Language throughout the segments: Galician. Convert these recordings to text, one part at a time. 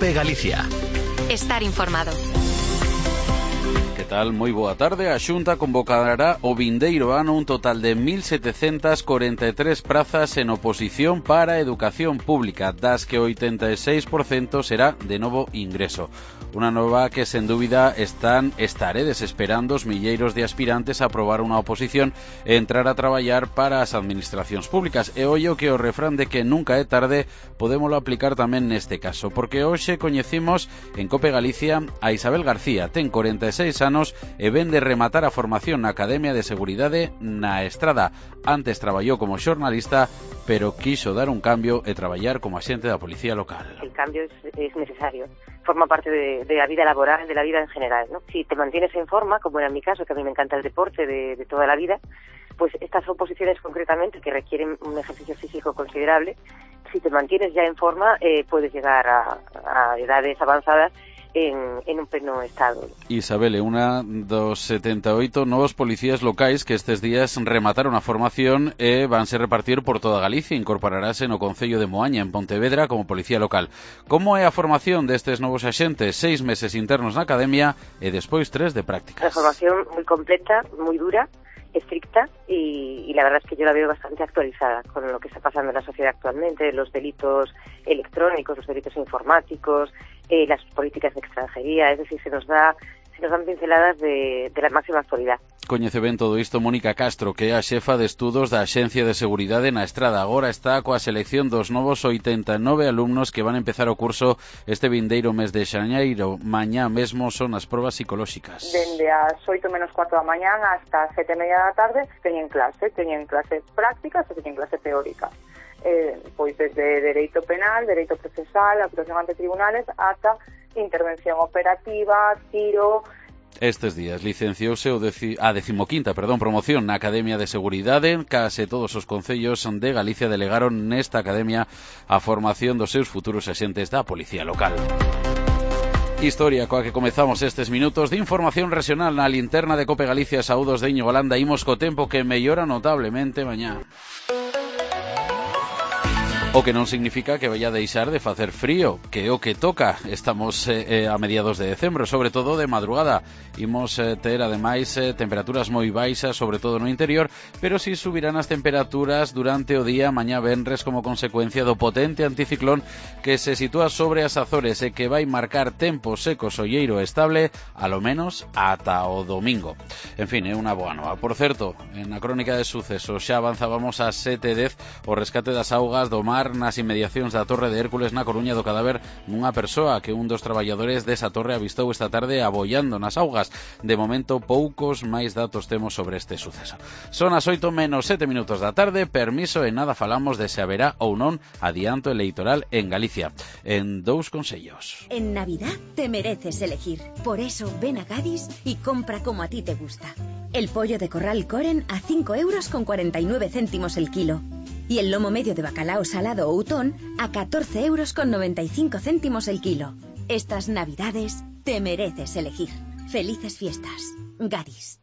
COPE Galicia. Estar informado. Que tal? Moi boa tarde. A Xunta convocará o vindeiro ano un total de 1.743 prazas en oposición para a educación pública, das que o 86% será de novo ingreso. Unha nova que, sen dúbida, estaredes esperando os milleiros de aspirantes a aprobar unha oposición e entrar a traballar para as administracións públicas. E ollo que o refrán de que nunca é tarde podémolo aplicar tamén neste caso, porque hoxe coñecimos en COPE Galicia a Isabel García. Ten 46 anos e ven de rematar a formación na Academia de Seguridade na Estrada. Antes traballou como xornalista, pero quiso dar un cambio e traballar como axente da Policía Local. El cambio es necesario. Forma parte de la vida laboral, de la vida en general, ¿no? Si te mantienes en forma, como era en mi caso, que a mí me encanta el deporte de toda la vida, pues estas oposiciones concretamente que requieren un ejercicio físico considerable, si te mantienes ya en forma, puedes llegar a edades avanzadas en un pleno estado. Isabel é unha dos 78 novos policías locais que estes días remataron a formación e vanse repartir por toda Galicia. Incorporarase no Concello de Moaña, en Pontevedra, como policía local. Como é a formación destes novos axentes? 6 meses internos na academia e despois 3 de prácticas. Una formación muy completa, muy dura, estricta y la verdad es que yo la veo bastante actualizada con lo que está pasando en la sociedad actualmente, los delitos electrónicos, los delitos informáticos, las políticas de extranjería, es decir, se nos dan pinceladas de la máxima actualidad. Coñece ben todo isto Mónica Castro, que é a xefa de estudos da Axencia de Seguridade na Estrada. Agora está coa selección dos novos 89 alumnos que van a empezar o curso este vindeiro mes de xaneiro. Mañá mesmo son as probas psicolóxicas. Dende as 8 menos 4 da mañán hasta as 7:30 da tarde teñen clase prácticas e teñen clase teórica. Pois desde dereito penal, dereito procesal, actuación ante tribunales, ata intervención operativa, tiro. Estes días licenciouse a 15ª promoción na Academia de Seguridade. Case todos os concellos de Galicia delegaron nesta academia a formación dos seus futuros axentes da Policía Local. Historia coa que comezamos estes minutos de información regional na linterna de COPE Galicia. Saúdos de Íñigo Landa. Imos co tempo que mellora notablemente mañá. O que non significa que vaya a deixar de facer frío, que é o que toca. Estamos a mediados de decembro, sobre todo de madrugada. Imos ter, ademais, temperaturas moi baixas, sobre todo no interior, pero si subirán as temperaturas durante o día mañá venres como consecuencia do potente anticiclón que se sitúa sobre as Azores e que vai marcar tempo seco, solleiro e estable, alo menos ata o domingo. En fin, é unha boa nova. Por certo, en a crónica de sucesos xa avanzábamos a 7:10 o rescate das augas do mar nas inmediacións da Torre de Hércules na Coruña do cadáver nunha persoa que un dos traballadores desa torre avistou esta tarde abollando nas augas. De momento, poucos máis datos temos sobre este suceso. Son as 8 menos 7 minutos da tarde. Permiso e nada falamos de se haberá ou non adianto electoral en Galicia. En 2 consellos. En Navidad te mereces elegir. Por eso ven a Gadis y compra como a ti te gusta. El pollo de corral Coren a 5,49 € el kilo. Y el lomo medio de bacalao salado Outón a 14,95 € el kilo. Estas Navidades te mereces elegir. Felices fiestas. Gadis.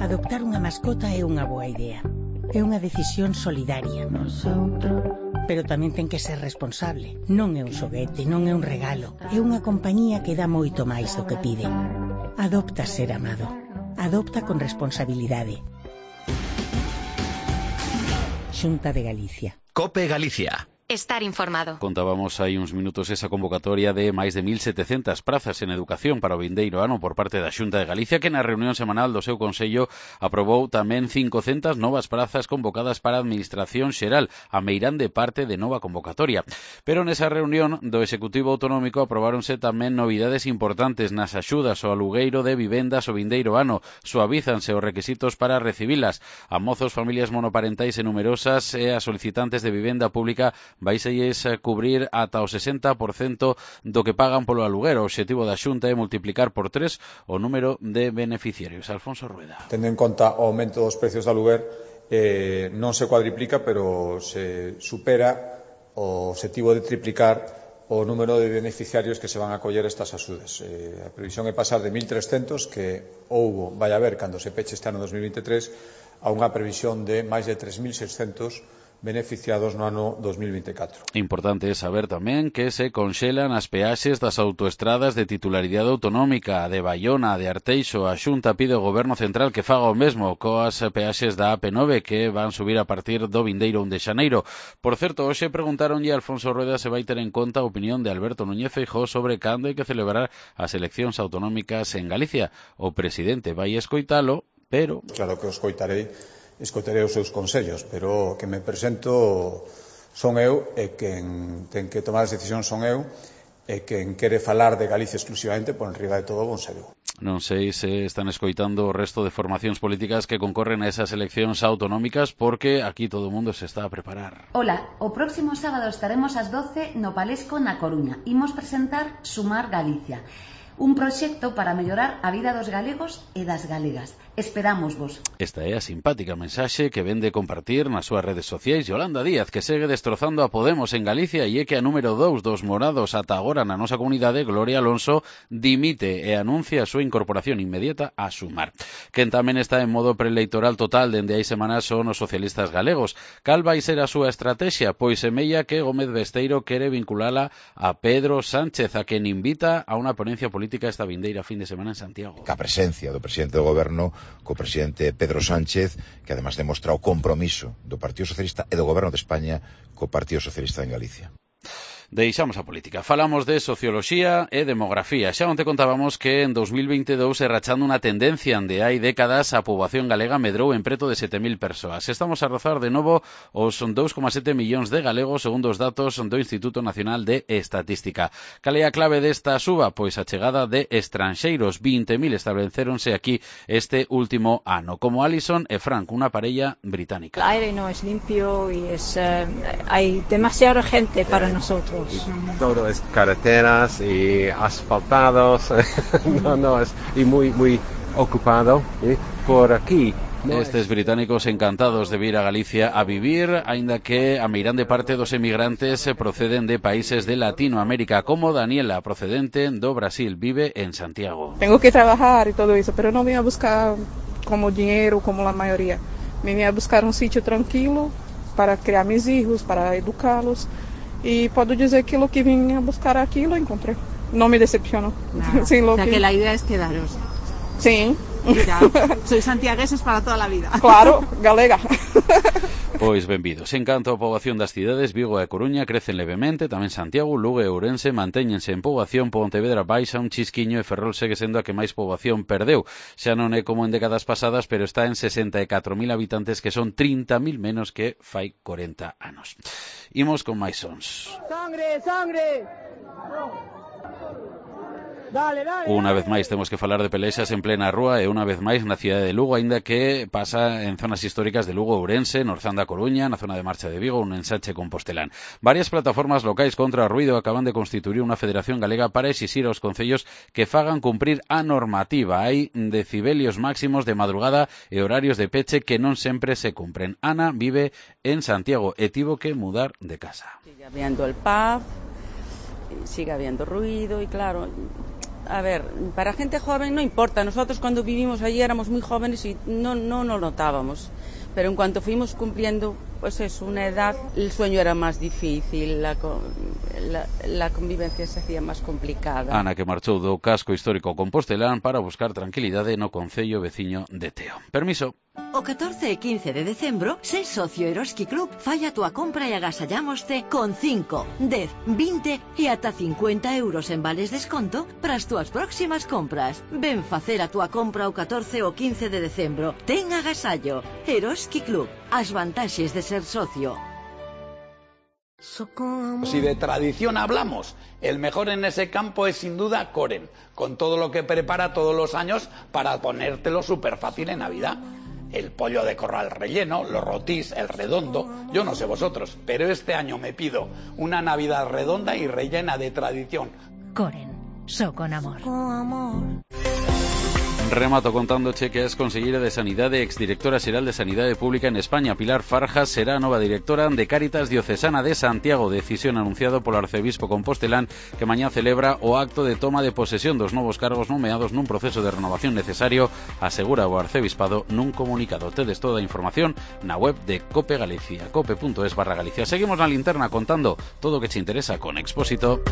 Adoptar unha mascota é unha boa idea. É unha decisión solidaria. Pero tamén ten que ser responsable. Non é un xoguete, non é un regalo. É unha compañía que dá moito máis do que pide. Adopta ser amado. Adopta con responsabilidade. Xunta de Galicia. COPE Galicia. Estar informado. Contábamos hai uns minutos esa convocatoria de máis de 1.700 prazas en educación para o vindeiro ano por parte da Xunta de Galicia, que na reunión semanal do seu Consello aprobou tamén 500 novas prazas convocadas para a Administración Xeral, a meirán de parte de nova convocatoria. Pero nesa reunión do Executivo Autonómico aprobáronse tamén novidades importantes nas axudas ao alugueiro de vivendas o vindeiro ano. Suavízanse os requisitos para recibilas. A mozos, familias monoparentais e numerosas e a solicitantes de vivenda pública vaiselles cubrir ata o 60% do que pagan polo aluguer. O obxectivo da Xunta é multiplicar por 3 o número de beneficiarios. Alfonso Rueda. Tendo en conta o aumento dos precios do aluguer, non se cuadriplica, pero se supera o obxectivo de triplicar o número de beneficiarios que se van a acoller estas axudas. A previsión é pasar de 1.300 que vai haber cando se peche este ano 2023 a unha previsión de máis de 3.600 beneficiados no ano 2024. Importante saber tamén que se conxelan as peaxes das autoestradas de titularidade autonómica de Baiona, de Arteixo. A Xunta pide ao Goberno Central que faga o mesmo coas peaxes da AP9 que van subir a partir do vindeiro 1 de xaneiro. Por certo, hoxe preguntaronlle a Alfonso Rueda se vai ter en conta a opinión de Alberto Núñez Feijóo sobre cando hai que celebrar as eleccións autonómicas en Galicia. O presidente vai escoitalo, pero... Claro que o escoitarei os seus consellos, pero que me presento son eu e quen ten que tomar as decisións son eu e quen quere falar de Galicia exclusivamente por enriba de todo bon ser eu. Non sei se están escoitando o resto de formacións políticas que concorren a esas eleccións autonómicas porque aquí todo o mundo se está a preparar. Hola, o próximo sábado estaremos ás 12 no Palesco na Coruña. Imos presentar Sumar Galicia, un proxecto para mellorar a vida dos galegos e das galegas. Esperámosvos. Esta é a simpática mensaxe que vende compartir nas súas redes sociais Yolanda Díaz, que segue destrozando a Podemos en Galicia e é que a número 2 dos morados ata agora na nosa comunidade, Gloria Alonso, dimite e anuncia a súa incorporación inmediata a Sumar. Quen tamén está en modo preelectoral total dende hai semanas son os socialistas galegos. Cal vai ser a súa estrategia? Pois semella que Gómez Besteiro quere vinculala a Pedro Sánchez, a quen invita a unha ponencia política esta vindeira fin de semana en Santiago. A presencia do presidente do goberno co presidente Pedro Sánchez, que además demostra o compromiso do Partido Socialista e do Goberno de España co Partido Socialista en Galicia. Deixamos a política. Falamos de socioloxía e demografía. Xa onte contábamos que en 2022 se rachando unha tendencia onde hai décadas a poboación galega medrou en preto de 7.000 persoas. Estamos a rozar de novo os 2,7 millóns de galegos segundo os datos do Instituto Nacional de Estatística. Cal é a clave desta suba? Pois a chegada de estranxeiros. 20.000 establecéronse aquí este último ano, como Alison e Frank, unha parella británica. El aire no es limpio y hay demasiada gente para nosotros. Todo es carreteras y asfaltados, y muy ocupado por aquí. Estes británicos encantados de vir a Galicia a vivir, aínda que a meirande parte dos emigrantes proceden de países de Latinoamérica, como Daniela, procedente do Brasil, vive en Santiago. Tengo que trabajar y todo eso, pero no vine a buscar como dinero como la mayoría. Vine a buscar un sitio tranquilo para criar mis hijos, para educarlos. Y puedo decir que lo que vine a buscar aquí lo encontré. No me decepcionó. Claro. Sí, o sea que la idea es quedaros. Sí. Ya, sois santiagueses para toda la vida. Claro, galega. Pois benvidos. En canto a poboación das cidades, Vigo e Coruña crecen levemente, tamén Santiago, Lugo e Ourense mantéñense en poboación, Pontevedra baixa un chisquiño e Ferrol segue sendo a que máis poboación perdeu. Xa non é como en décadas pasadas, pero está en 64.000 habitantes, que son 30.000 menos que fai 40 anos. Imos con máis sons. ¡Sangre, sangre! Dale. Unha vez máis temos que falar de pelexas en plena rúa e unha vez máis na cidade de Lugo, aínda que pasa en zonas históricas de Lugo, Ourense, Norzán da Coruña, na zona de Marcha de Vigo, un ensanche Compostelán. Varias plataformas locais contra o ruido acaban de constituir unha federación galega para exixir aos concellos que fagan cumprir a normativa. Hai decibelios máximos de madrugada e horarios de peche que non sempre se cumpren. Ana vive en Santiago e tivo que mudar de casa. Sigue habiendo el pub, sigue habiendo ruido y claro... A ver, para gente joven no importa. Nosotros cuando vivimos allí éramos muy jóvenes y no lo notábamos. Pero en cuanto fuimos cumpliendo, pues es una edad, el sueño era más difícil, la convivencia se hacía más complicada. Ana, que marchou do casco histórico Compostelán para buscar tranquilidade no concello veciño de Teo. Permiso. O 14 e 15 de decembro, sé socio Eroski Club, falla a túa compra e agasallámoste con 5, 10, 20 e ata 50 euros en vales desconto para as túas próximas compras. Ven facer a túa compra o 14 ou 15 de decembro. Ten agasallo. Eroski Club. As vantaxes de ser socio. Si de tradición hablamos, el mejor en ese campo es sin duda Koren, con todo lo que prepara todos los años para ponértelo súper fácil en Navidad. El pollo de corral relleno, los rotís, el redondo, yo no sé vosotros, pero este año me pido una Navidad redonda y rellena de tradición. Koren, so con amor. Remato contándoche que es conseguira de Sanidade e exdirectora xeral de Sanidade Pública en España. Pilar Farjas será a nova directora de Cáritas Diocesana de Santiago, decisión anunciado polo arcebispo compostelán, que mañá celebra o acto de toma de posesión dos novos cargos nomeados nun proceso de renovación necesario, asegura o arcebispado nun comunicado. Tedes toda a información na web de Cope Galicia, cope.es/Galicia. Seguimos na linterna contando todo o que te interesa con Expósito.